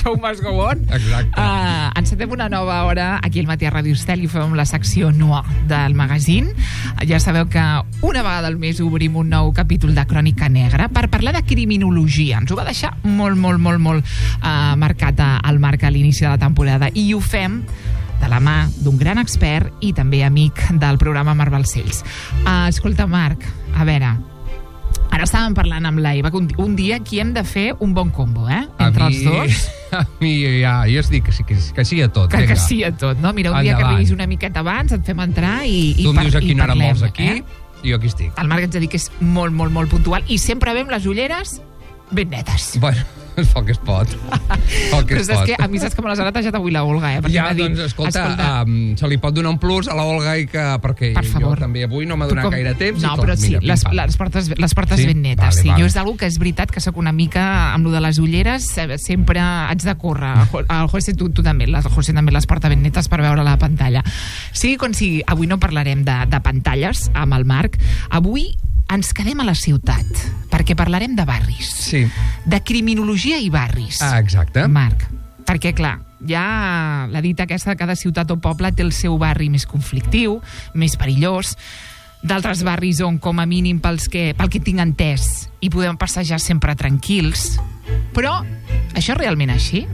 show must go on. Exacte. Encetem una nova hora aquí al Matí a Ràdio Estel i fem la secció Noir del magazine. Ja sabeu que una vegada al mes obrim un nou capítol de Crònica Negra per parlar de criminologia. Ens ho va deixar molt marcat al Marc a l'inici de la temporada i ho fem de la mà d'un gran expert i també amic del programa Marc Balcells. Escolta, Marc, a veure, ara estàvem parlant amb l'Eva que un dia aquí hem de fer un bon combo, entre els dos. A mi ja, jo es dic que sí a tot. Que sí a tot, no? Mira, un dia que vinguis una miqueta abans, et fem entrar i parlem. Tu em dius a quina hora vols aquí i jo aquí estic. El Marc ens ha dit que és molt puntual i sempre veiem les ulleres ben netes. Bueno, és el que es pot. Però saps que a mi saps que me les ha netejat avui la Olga, Ja, doncs, escolta, se li pot donar un plus a la Olga perquè jo també avui no m'ha donat gaire temps. No, però sí, les portes ben netes. Jo és algo que és veritat que sóc una mica amb lo de les ulleres, sempre haig de córrer. El José, tu també, el José també les porta ben netes per veure la pantalla. Sigui com sigui, avui no parlarem de pantalles amb el Marc. Avui ens quedem a la ciutat, perquè parlarem de barris. Sí. De criminologia i barris. Exacte. Marc, perquè clar, ja la dita aquesta de cada ciutat o poble té el seu barri més conflictiu, més perillós, d'altres barris on, com a mínim, pel que tinc entès, hi podem passejar sempre tranquils. Però això és realment així?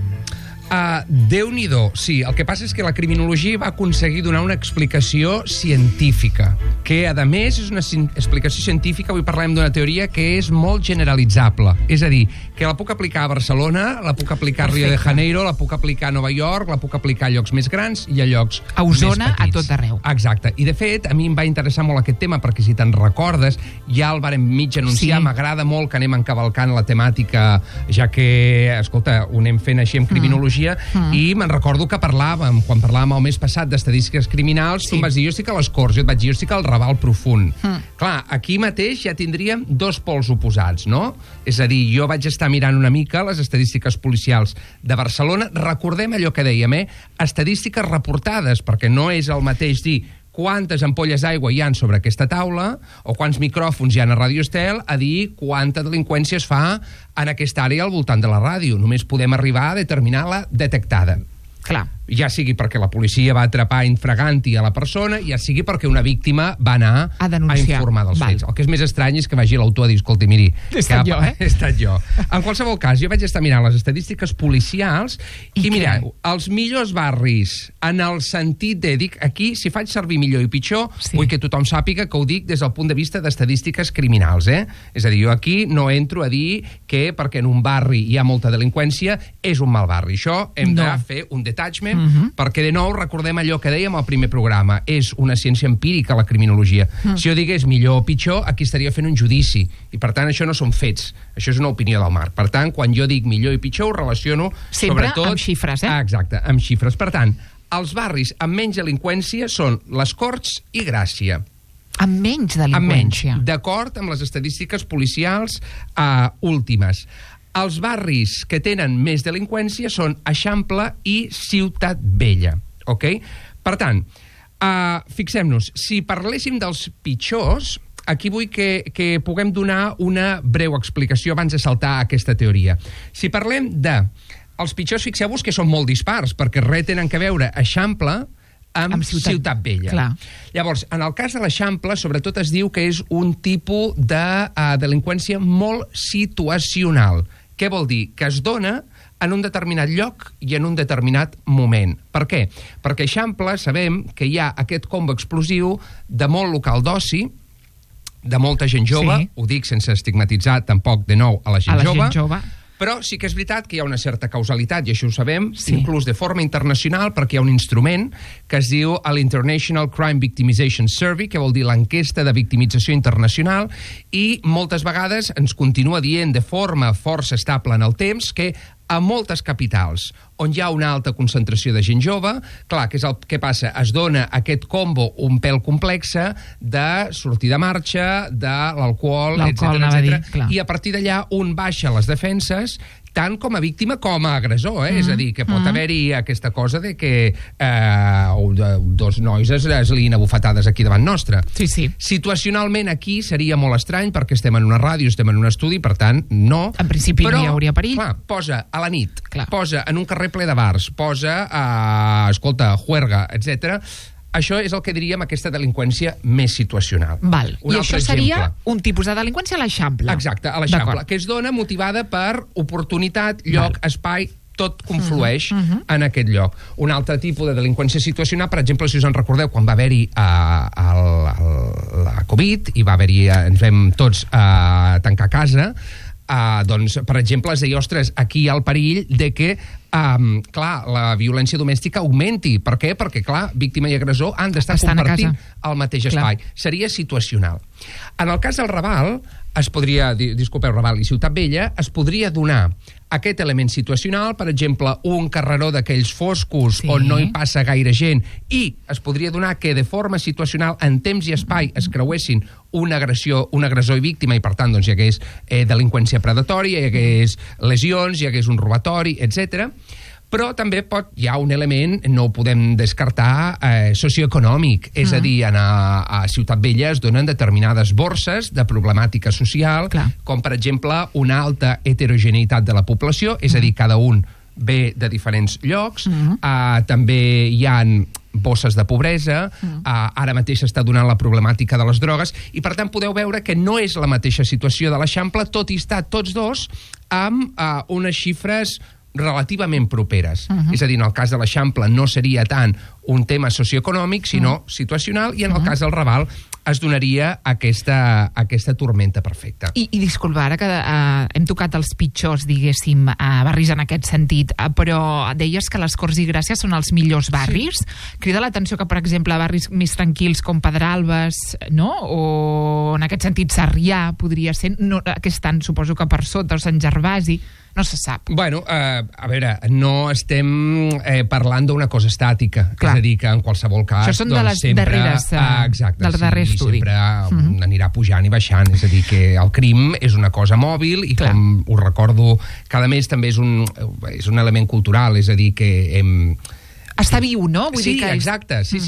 Déu-n'hi-do, sí. El que passa és que la criminologia va aconseguir donar una explicació científica, que, a més, és una explicació científica, avui parlem d'una teoria que és molt generalitzable. És a dir, que la puc aplicar a Barcelona, la puc aplicar a Rio de Janeiro, la puc aplicar a Nova York, la puc aplicar a llocs més grans i a llocs a Osona, més petits. a tot arreu. Exacte. I, de fet, a mi em va interessar molt aquest tema, perquè si te'n recordes, ja el vàrem mig anunciar, m'agrada molt que anem encavalcant la temàtica, ja que, escolta, ho anem fent així amb criminologia, i me'n recordo que quan parlàvem el mes passat d'estadístiques criminals, tu em vas dir, jo estic a les Corts, jo et vaig dir, jo estic al Raval Profund. Clar, aquí mateix ja tindríem dos pols oposats, no? És a dir, jo vaig estar mirant una mica les estadístiques policials de Barcelona, recordem allò que dèiem, estadístiques reportades, perquè no és el mateix dir quantes ampolles d'aigua hi ha sobre aquesta taula o quants micròfons hi ha a Ràdio Estel a dir quanta delinqüència es fa en aquesta àrea al voltant de la ràdio. Només podem arribar a determinar la detectada. Clar. Ja sigui perquè la policia va atrapar infraganti a la persona, ja sigui perquè una víctima va anar a informar dels fets. El que és més estrany és que vagi l'autor a dir, escolti, miri... He estat jo. En qualsevol cas, jo vaig estar mirant les estadístiques policials i mireu, els millors barris, en el sentit de... Dic, aquí, si faig servir millor i pitjor, vull que tothom sàpiga que ho dic des del punt de vista d'estadístiques criminals, És a dir, jo aquí no entro a dir que perquè en un barri hi ha molta delinqüència és un mal barri. Això hem de fer un detachment, perquè de nou recordem allò que dèiem al primer programa, és una ciència empírica la criminologia. Si jo digués millor o pitjor, aquí estaria fent un judici, i per tant això no són fets, això és una opinió del Marc. Per tant, quan jo dic millor i pitjor, ho relaciono sempre sobretot amb xifres, Exacte, amb xifres. Per tant, els barris amb menys delinqüència són les Corts i Gràcia. Amb menys delinqüència? D'acord amb les estadístiques policials últimes. Els barris que tenen més delinqüència són Eixample i Ciutat Vella. Ok? Per tant, fixem-nos, si parléssim dels pitjors, aquí vull que puguem donar una breu explicació abans de saltar a aquesta teoria. Si parlem els pitjors, fixeu-vos que són molt dispars, perquè res tenen que veure Eixample amb Ciutat Vella. Clar. Llavors, en el cas de l'Eixample, sobretot es diu que és un tipus de delinqüència molt situacional. Què vol dir? Que es dona en un determinat lloc i en un determinat moment. Per què? Perquè a Eixample sabem que hi ha aquest combo explosiu de molt local d'oci, de molta gent jove, ho dic sense estigmatitzar tampoc de nou a la gent jove, però sí que és veritat que hi ha una certa causalitat, i això ho sabem, inclús de forma internacional, perquè hi ha un instrument que es diu l'International Crime Victimization Survey, que vol dir l'enquesta de victimització internacional, i moltes vegades ens continua dient de forma força estable en el temps que a moltes capitals on hi ha una alta concentració de gent jove, clar, què és el que passa? Es dona aquest combo un pèl complexe de sortir de marxa, de l'alcohol, etc. I a partir d'allà un baixa les defenses, tant com a víctima com a agressor, és a dir, que pot haver-hi aquesta cosa de que dos nois es liïn a bufetades aquí davant nostre. Sí, sí. Situacionalment aquí seria molt estrany perquè estem en una ràdio, estem en un estudi, per tant, no. En principi no hi hauria perill. Clar, posa a la nit, clar, posa en un carrer ple de bars, posa, escolta, juerga, etc. Això és el que diríem aquesta delinqüència més situacional. Val. I això seria un tipus de delinqüència a l'Eixample. Exacte, a l'Eixample, que es dona motivada per oportunitat, lloc, espai, tot conflueix en aquest lloc. Un altre tipus de delinqüència situacional, per exemple, si us en recordeu, quan va haver-hi la Covid i va haver-hi, ens vam tots tancar a casa, doncs, per exemple, es deia, ostres, aquí hi ha el perill de que clar, la violència domèstica augmenti. Per què? Perquè, clar, víctima i agressor han d'estar compartint el mateix espai. Seria situacional. En el cas del Raval, es podria, disculpeu, Raval i Ciutat Vella, es podria donar aquest element situacional, per exemple, un carreró d'aquells foscos on no hi passa gaire gent, i es podria donar que de forma situacional, en temps i espai, es creuessin un agressor i víctima, i per tant doncs, hi hagués delinqüència predatòria, hi hagués lesions, hi hagués un robatori, etc. Però també hi ha un element, no ho podem descartar, socioeconòmic. És a dir, a Ciutat Vella es donen determinades borses de problemàtica social, com per exemple una alta heterogeneïtat de la població, és a dir, cada un ve de diferents llocs, també hi ha bosses de pobresa, ara mateix s'està donant la problemàtica de les drogues, i per tant podeu veure que no és la mateixa situació de l'Eixample, tot i estar tots dos amb unes xifres relativament properes. És a dir, en el cas de l'Eixample no seria tant un tema socioeconòmic, sinó situacional, i en el cas del Raval es donaria aquesta tormenta perfecta. I disculpa, ara que hem tocat els pitjors, diguéssim, barris en aquest sentit, però deies que les Corts i Gràcia són els millors barris. Crida l'atenció que, per exemple, barris més tranquils com Pedralbes, no? O en aquest sentit Sarrià podria ser, aquest any suposo que per sota, o Sant Gervasi, no se sap. Bueno, a veure, no estem parlant d'una cosa estàtica. És a dir, que en qualsevol cas... Això són de les darreres, del darrer estudi. Sempre anirà pujant i baixant. És a dir, que el crim és una cosa mòbil i, com us recordo, cada mes també és un element cultural. És a dir, que està viu, no? Vull dir que exacte. Sí.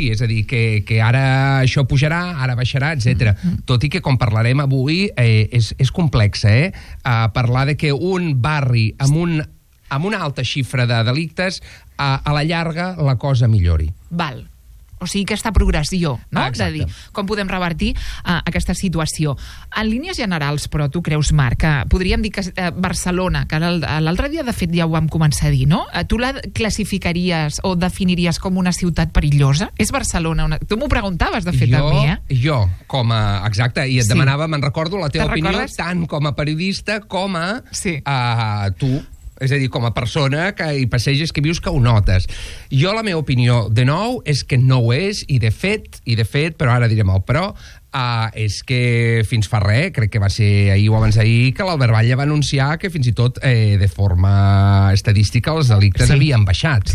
És a dir, que ara això pujarà, ara baixarà, etc. Tot i que, com parlarem avui, és complex, parlar de que un barri amb una alta xifra de delictes, a la llarga la cosa millori. Val. O sigui, aquesta progressió, no? Exacte. De dir, com podem revertir aquesta situació. En línies generals, però, tu creus, Marc, que podríem dir que Barcelona, que l'altre dia, de fet, ja ho vam començar a dir, no? Tu la classificaries o definiries com una ciutat perillosa? És Barcelona Tu m'ho preguntaves, de fet, a mi, Jo, com a... Exacte, i et demanava, me'n recordo, la teva opinió, tant com a periodista com a tu. És a dir, com a persona que hi passeges, que vius, que ho notes. Jo, la meva opinió, de nou, és que no ho és, i de fet, però ara direm el però, és que fins fa res, crec que va ser ahir o abans d'ahir, que l'Albert Batlle va anunciar que fins i tot de forma estadística els delictes havien baixat.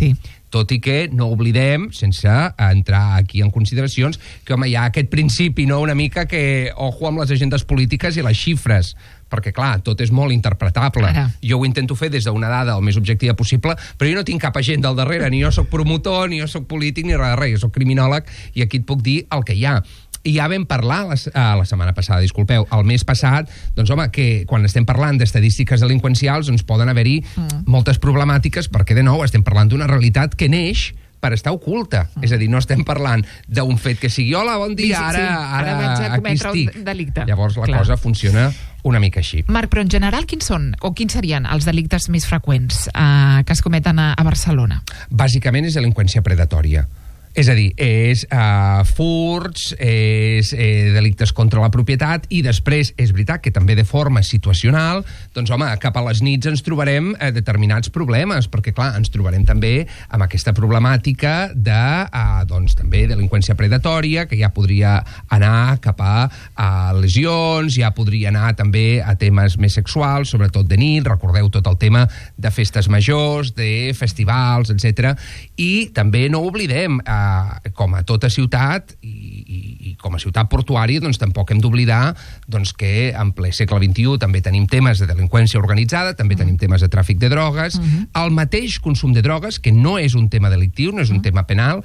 Tot i que no oblidem, sense entrar aquí en consideracions, que home, hi ha aquest principi, no?, una mica que ojo amb les agendes polítiques i les xifres, perquè clar, tot és molt interpretable. Jo ho intento fer des d'una dada el més objectiva possible, però jo no tinc cap agenda al darrere, ni jo soc promotor, ni jo soc polític, ni res de res, jo soc criminòleg i aquí et puc dir el que hi ha. I ja vam parlar la setmana passada, disculpeu, el mes passat, doncs home, que quan estem parlant d'estadístiques delinqüencials doncs poden haver-hi moltes problemàtiques perquè, de nou, estem parlant d'una realitat que neix per estar oculta. És a dir, no estem parlant d'un fet que sigui hola, bon dia, ara vaig a aquí cometre un delicte. Llavors la cosa funciona una mica així. Marc, però en general quins serien els delictes més freqüents que es cometen a Barcelona? Bàsicament és delinqüència predatòria. És a dir, és furts, és delictes contra la propietat, i després, és veritat que també de forma situacional, doncs home, cap a les nits ens trobarem determinats problemes, perquè clar, ens trobarem també amb aquesta problemàtica de, doncs també, delinqüència predatòria, que ja podria anar cap a lesions, ja podria anar també a temes més sexuals, sobretot de nit, recordeu tot el tema de festes majors, de festivals, etc. I també no oblidem, com a tota ciutat i com a ciutat portuària, doncs tampoc hem d'oblidar que en ple segle XXI també tenim temes de delinqüència organitzada, també tenim temes de tràfic de drogues. El mateix consum de drogues, que no és un tema delictiu, no és un tema penal,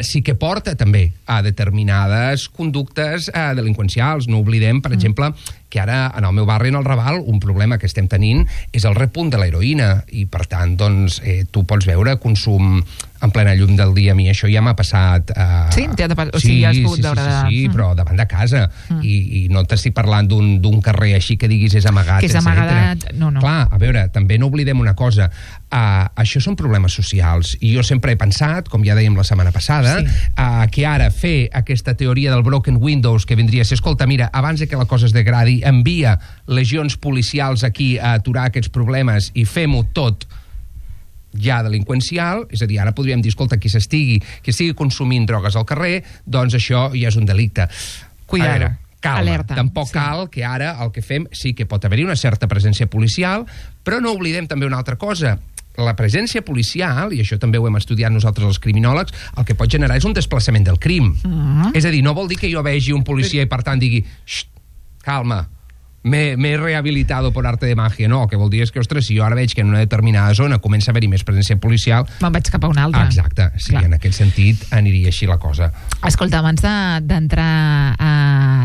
sí que porta també a determinades conductes delinqüencials. No oblidem, per exemple, que ara en el meu barri, en el Raval, un problema que estem tenint és el repunt de l'heroïna i, per tant, doncs, tu pots veure consum en plena llum del dia. A mi això ja m'ha passat... Sí? O sigui, ja has pogut veure... Sí, però davant de casa. I no t'estic parlant d'un carrer així que diguis és amagat, que és amagat, no. Clar, a veure, també no oblidem una cosa. Això són problemes socials. I jo sempre he pensat, com ja dèiem la setmana passada, que ara fer aquesta teoria del broken windows, que vindria a ser, escolta, mira, abans que la cosa es degradi, envia legions policials aquí a aturar aquests problemes i fem-ho tot ja delinqüencial, és a dir, ara podríem dir, escolta, qui estigui consumint drogues al carrer, doncs això ja és un delicte. Cuidado. Calma, alerta. Tampoc cal que ara el que fem, sí que pot haver-hi una certa presència policial, però no oblidem també una altra cosa. La presència policial, i això també ho hem estudiat nosaltres els criminòlegs, el que pot generar és un desplaçament del crim. És a dir, no vol dir que jo vegi un policia i per tant digui calma, me he rehabilitado por arte de magia. No, el que vol dir és que, ostres, si jo ara veig que en una determinada zona comença a haver-hi més presència policial... Me'n vaig cap a una altra. Exacte, sí, clar. En aquest sentit aniria així la cosa. Escolta, abans d'entrar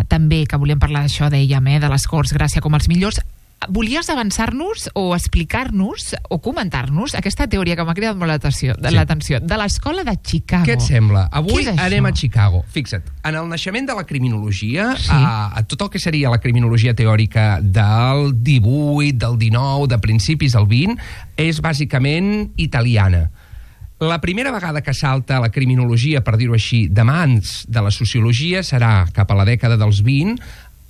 també, que volíem parlar d'això, dèiem, de les Corts Gràcia com els millors, volies avançar-nos o explicar-nos o comentar-nos aquesta teoria que m'ha cridat molt l'atenció de l'escola de Chicago. Què et sembla? Avui anem a Chicago. Fixa't, en el naixement de la criminologia, a tot el que seria la criminologia teòrica del 18, del 19, de principis del 20, és bàsicament italiana. La primera vegada que salta la criminologia, per dir-ho així, de mans de la sociologia serà cap a la dècada dels 20,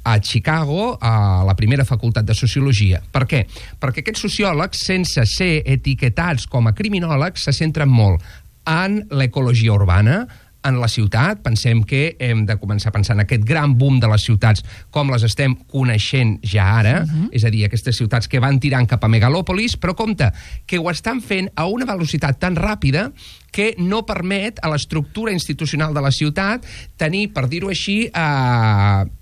a Chicago, a la primera facultat de Sociologia. Per què? Perquè aquests sociòlegs, sense ser etiquetats com a criminòlegs, se centren molt en l'ecologia urbana, en la ciutat. Pensem que hem de començar a pensar en aquest gran boom de les ciutats com les estem coneixent ja ara, és a dir, aquestes ciutats que van tirant cap a megalòpolis, però compte, que ho estan fent a una velocitat tan ràpida que no permet a l'estructura institucional de la ciutat tenir, per dir-ho així,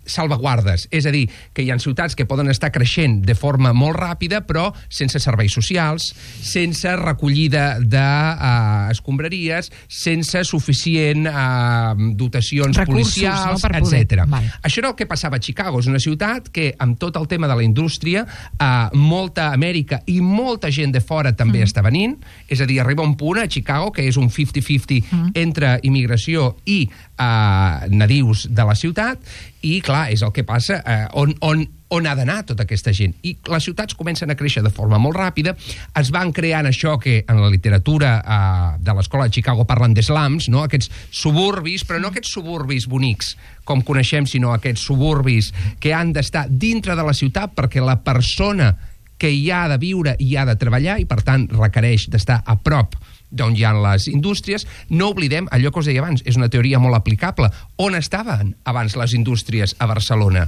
salvaguardes. És a dir, que hi ha ciutats que poden estar creixent de forma molt ràpida, però sense serveis socials, sense recollida d'escombraries, sense suficient dotacions policials, etc. Això era el que passava a Chicago. És una ciutat que, amb tot el tema de la indústria, molta Amèrica i molta gent de fora també està venint. És a dir, arriba un punt a Chicago que és un 50-50 entre immigració i nadius de la ciutat, i clar, és el que passa on ha d'anar tota aquesta gent. I les ciutats comencen a créixer de forma molt ràpida, es van creant això que en la literatura de l'escola de Chicago parlen d'slums, no? Aquests suburbis, però no aquests suburbis bonics com coneixem, sinó aquests suburbis que han d'estar dintre de la ciutat perquè la persona que hi ha de viure i ha de treballar i per tant requereix d'estar a prop d'on hi ha les indústries. No oblidem allò que us deia abans, és una teoria molt aplicable. On estaven abans les indústries a Barcelona?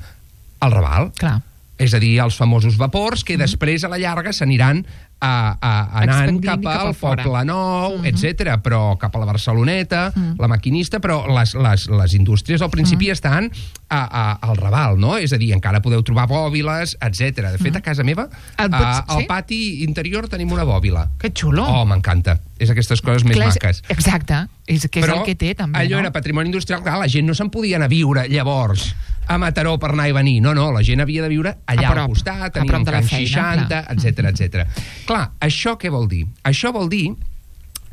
Al Raval. Clar. És a dir, els famosos vapors que després a la llarga s'aniran anant cap al Poble Nou, etc. Però cap a la Barceloneta, la Maquinista, però les indústries al principi estan al Raval, no? És a dir, encara podeu trobar bòbiles, etc. De fet, a casa meva, al pati interior tenim una bòbila. Que xulo. Oh, m'encanta. És aquestes coses més maques. Exacte. És que és el que té, també, no? Allò era patrimoni industrial. Clar, la gent no se'n podia anar a viure llavors a Mataró per anar i venir. No, la gent havia de viure allà al costat, tenir un Can 60, etc. Clar, això què vol dir? Això vol dir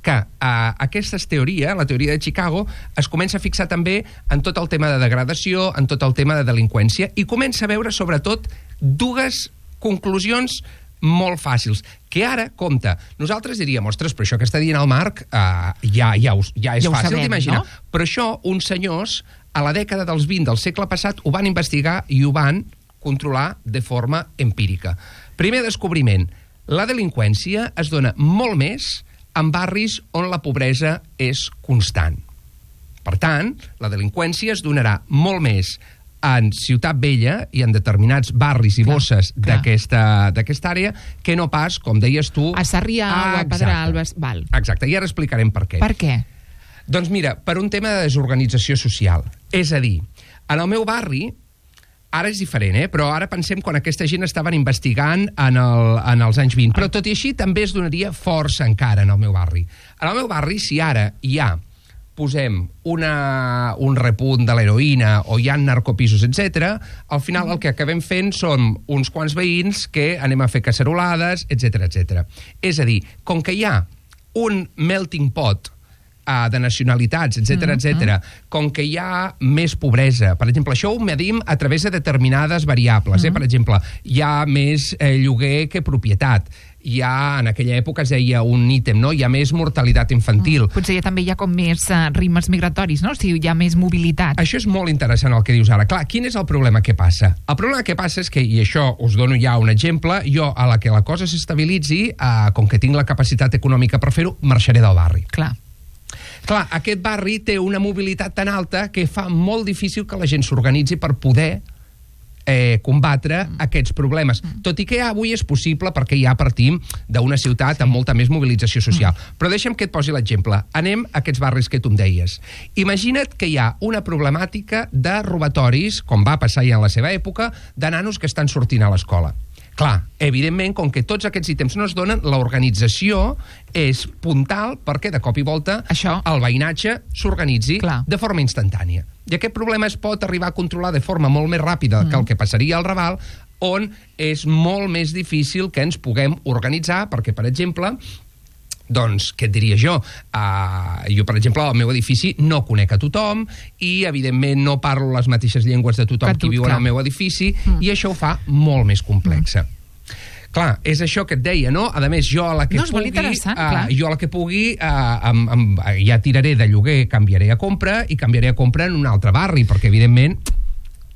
que aquesta teoria, la teoria de Chicago, es comença a fixar també en tot el tema de degradació, en tot el tema de delinqüència, i comença a veure, sobretot, dues conclusions molt fàcils, que ara, compte, nosaltres diríem, ostres, però això que està dient el Marc ja és fàcil d'imaginar. No? Però això, uns senyors, a la dècada dels 20 del segle passat, ho van investigar i ho van controlar de forma empírica. Primer descobriment, la delinqüència es dona molt més en barris on la pobresa és constant. Per tant, la delinqüència es donarà molt més en Ciutat Vella i en determinats barris i bosses d'aquesta àrea que no pas, com deies tu... A Sarrià o a Pedralbes. Exacte, i ara explicarem per què. Per què? Doncs mira, per un tema de desorganització social. És a dir, en el meu barri, ara és diferent, però ara pensem quan aquesta gent estaven investigant en els anys 20. Però tot i així també es donaria força encara en el meu barri. En el meu barri, si ara hi ha, posem un repunt de l'heroïna o hi ha narcopisos, etc., al final el que acabem fent són uns quants veïns que anem a fer cacerolades, etc etc. És a dir, com que hi ha un melting pot de nacionalitats, etc etc, com que hi ha més pobresa. Per exemple, això ho medim a través de determinades variables. Per exemple, hi ha més lloguer que propietat. Hi ha, en aquella època es deia un ítem, no? Hi ha més mortalitat infantil. Potser també hi ha com més ritmes migratoris, no? O sigui, hi ha més mobilitat. Això és molt interessant el que dius ara. Clar, quin és el problema que passa? El problema que passa és que, i això us dono ja un exemple, jo a la que la cosa s'estabilitzi, com que tinc la capacitat econòmica per fer-ho, marxaré del barri. Clar, aquest barri té una mobilitat tan alta que fa molt difícil que la gent s'organitzi per poder combatre aquests problemes. Tot i que avui és possible perquè ja partim d'una ciutat amb molta més mobilització social. Però deixa'm que et posi l'exemple. Anem a aquests barris que tu em deies. Imagina't que hi ha una problemàtica de robatoris, com va passar ja en la seva època, de nanos que estan sortint a l'escola. Clar, evidentment, com que tots aquests ítems no es donen, l'organització és puntal perquè de cop i volta el veïnatge s'organitzi de forma instantània. I aquest problema es pot arribar a controlar de forma molt més ràpida que el que passaria al Raval, on és molt més difícil que ens puguem organitzar, perquè, per exemple, doncs, què et diria jo? Jo, per exemple, al meu edifici no conec a tothom i, evidentment, no parlo les mateixes llengües de tothom qui viu en el meu edifici i això ho fa molt més complexa. Clar, és això que et deia, no? A més, jo a la que pugui, ja tiraré de lloguer, canviaré a compra i canviaré a compra en un altre barri, perquè, evidentment,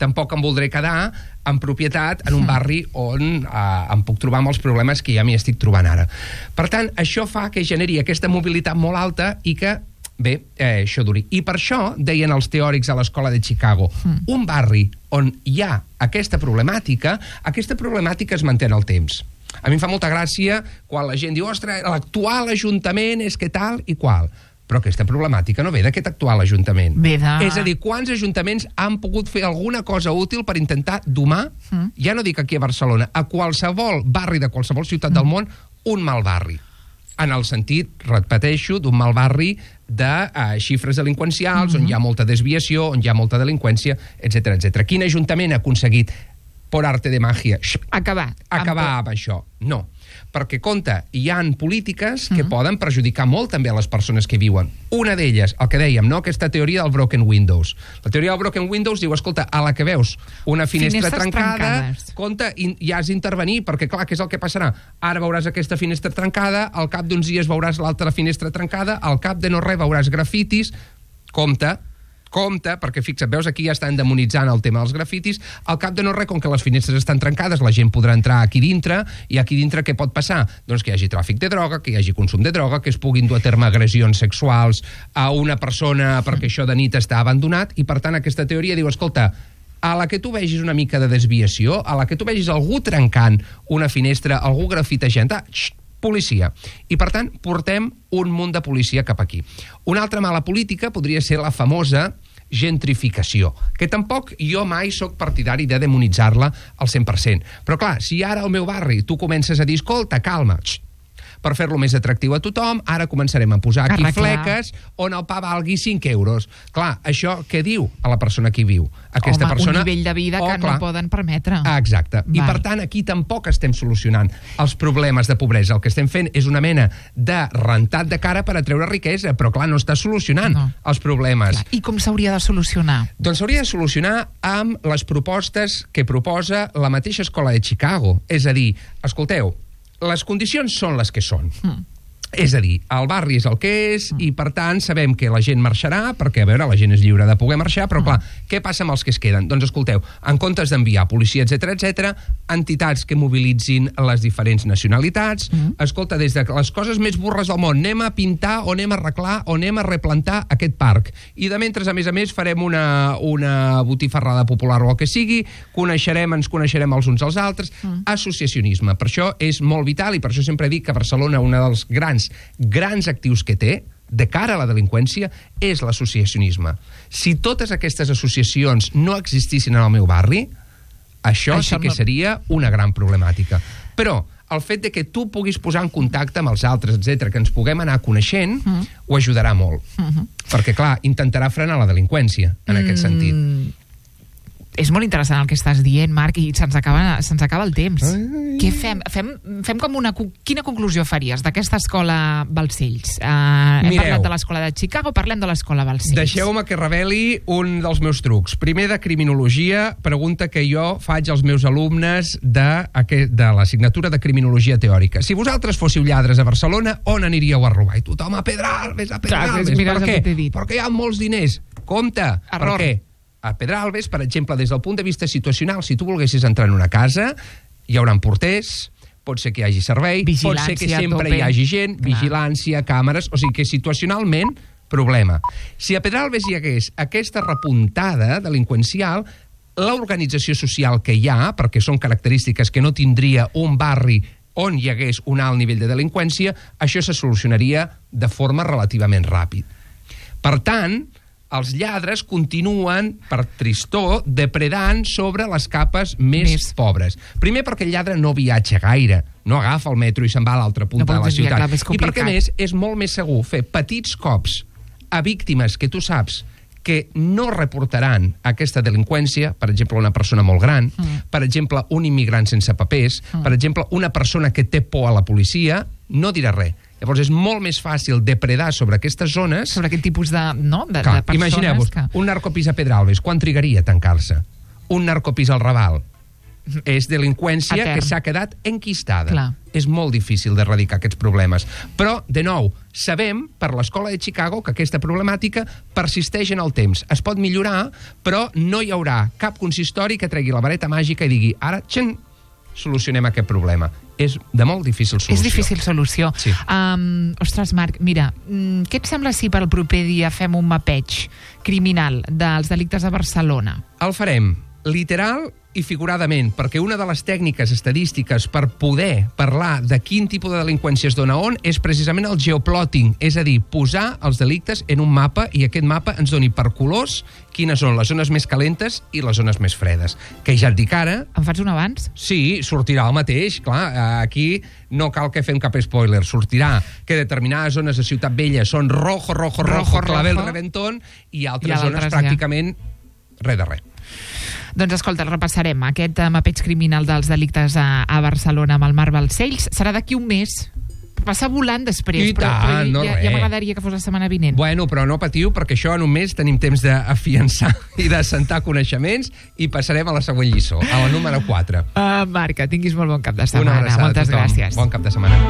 tampoc em voldré quedar en propietat en un barri on em puc trobar amb els problemes que ja m'hi estic trobant ara. Per tant, això fa que generi aquesta mobilitat molt alta i que, bé, això duri. I per això, deien els teòrics a l'escola de Chicago, un barri on hi ha aquesta problemàtica es manté en el temps. A mi em fa molta gràcia quan la gent diu, ostres, l'actual ajuntament és que tal i qual. Però aquesta problemàtica no ve d'aquest actual ajuntament. És a dir, quants ajuntaments han pogut fer alguna cosa útil per intentar domar, ja no dic aquí a Barcelona, a qualsevol barri de qualsevol ciutat del món, un mal barri. En el sentit, repeteixo, d'un mal barri de xifres delinqüencials, on hi ha molta desviació, on hi ha molta delinqüència, etc. Quin ajuntament ha aconseguit, per arte de màgia, acabar amb això? No. Perquè, compte, hi ha polítiques que poden perjudicar molt també a les persones que viuen. Una d'elles, el que dèiem, no? Aquesta teoria del broken windows. La teoria del broken windows diu, escolta, a la que veus una finestra trencada, compte, i has d'intervenir, perquè, clar, què és el que passarà? Ara veuràs aquesta finestra trencada, al cap d'uns dies veuràs l'altra finestra trencada, al cap de no res veuràs grafitis. Compte, perquè fixa't, veus, aquí ja estan demonitzant el tema dels grafitis, al cap de no res, com que les finestres estan trencades, la gent podrà entrar aquí dintre, i aquí dintre què pot passar? Doncs que hi hagi tràfic de droga, que hi hagi consum de droga, que es puguin dur a terme agressions sexuals a una persona perquè això de nit està abandonat, i per tant aquesta teoria diu, escolta, a la que tu vegis una mica de desviació, a la que tu vegis algú trencant una finestra, algú grafitejant, policia. I, per tant, portem un munt de policia cap aquí. Una altra mala política podria ser la famosa gentrificació, que tampoc jo mai sóc partidari de demonitzar-la al 100%. Però, clar, si ara al meu barri tu comences a dir, escolta, calma, per fer-lo més atractiu a tothom, ara començarem a posar aquí fleques on el pa valgui 5 euros. Clar, això què diu a la persona que hi viu? Aquesta persona... un nivell de vida que no poden permetre. Exacte. I per tant, aquí tampoc estem solucionant els problemes de pobresa. El que estem fent és una mena de rentat de cara per atreure riquesa, però clar, no està solucionant els problemes. I com s'hauria de solucionar? Doncs s'hauria de solucionar amb les propostes que proposa la mateixa escola de Chicago. És a dir, escolteu, les condicions són les que són. És a dir, el barri és el que és i, per tant, sabem que la gent marxarà perquè, a veure, la gent és lliure de poder marxar, però, clar, què passa amb els que es queden? Doncs, escolteu, en comptes d'enviar policia, etc., entitats que mobilitzin les diferents nacionalitats, escolta, des de les coses més burres del món, anem a pintar o anem a arreglar o anem a replantar aquest parc. I de mentre, a més, farem una botifarrada popular o el que sigui, ens coneixerem els uns als altres. Associacionisme. Per això és molt vital i per això sempre dic que Barcelona, una dels grans actius que té, de cara a la delinqüència és l'associacionisme. Si totes aquestes associacions no existissin en el meu barri, això sí que seria una gran problemàtica. Però el fet de que tu puguis posar en contacte amb els altres, etc, que ens puguem anar coneixent, ho ajudarà molt. Perquè, clar, intentarà frenar la delinqüència, en aquest sentit. És molt interessant el que estàs dient, Marc, i se'ns acaba el temps. Què fem? Fem com quina conclusió faries d'aquesta escola Balcells? Hem parlat de l'escola de Chicago, parlem de l'escola Balcells. Deixeu-me que reveli un dels meus trucs. Primer, de criminologia, pregunta que jo faig als meus alumnes de l'assignatura de criminologia teòrica. Si vosaltres fóssiu lladres a Barcelona, on aniríeu a robar? I tothom a Pedralbes, a Pedralbes. Per què? Perquè hi ha molts diners. Compte, per què? A Pedralbes, per exemple, des del punt de vista situacional, si tu volguessis entrar en una casa, hi haurà porters, pot ser que hi hagi servei, pot ser que sempre hi hagi gent, vigilància, càmeres, o sigui que situacionalment, problema. Si a Pedralbes hi hagués aquesta repuntada delinqüencial, l'organització social que hi ha, perquè són característiques que no tindria un barri on hi hagués un alt nivell de delinqüència, això se solucionaria de forma relativament ràpid. Per tant, els lladres continuen, per tristor, depredant sobre les capes més pobres. Primer perquè el lladre no viatja gaire, no agafa el metro i se'n va a l'altra punta de la ciutat. I perquè, a més, és molt més segur fer petits cops a víctimes que tu saps que no reportaran aquesta delinqüència, per exemple, una persona molt gran, per exemple, un immigrant sense papers, per exemple, una persona que té por a la policia, no dirà res. Llavors és molt més fàcil depredar sobre aquestes zones... Sobre aquest tipus de persones... Imagineu-vos, un narcopís a Pedralbes, quan trigaria a tancar-se? Un narcopís al Raval? És delinqüència que s'ha quedat enquistada. És molt difícil d'erradicar aquests problemes. Però, de nou, sabem, per l'escola de Chicago, que aquesta problemàtica persisteix en el temps. Es pot millorar, però no hi haurà cap consistori que tregui la vareta màgica i digui ara, solucionem aquest problema. És de molt difícil solució. És difícil solució. Sí. Ostres, Marc, mira, què et sembla si per el proper dia fem un mapeig criminal dels delictes a Barcelona? El farem literal i figuradament, perquè una de les tècniques estadístiques per poder parlar de quin tipus de delinqüència es dona on és precisament el geoplotting, és a dir, posar els delictes en un mapa i aquest mapa ens doni per colors quines són les zones més calentes i les zones més fredes. Que ja et dic ara... Em fas un abans? Sí, sortirà el mateix, clar. Aquí no cal que fem cap spoiler. Sortirà que determinades zones de Ciutat Vella són rojo, clavel, reventón, i altres zones pràcticament res de res. Doncs escolta, repassarem aquest mapeig criminal dels delictes a Barcelona amb el Marc Balcells. Serà d'aquí un mes. Passa volant després, però ja m'agradaria que fos la setmana vinent. Bueno, però no patiu, perquè això en un mes tenim temps d'afiançar i d'assentar coneixements i passarem a la següent lliçó, a la número 4. Marc, tinguis molt bon cap de setmana. Moltes gràcies. Bon cap de setmana.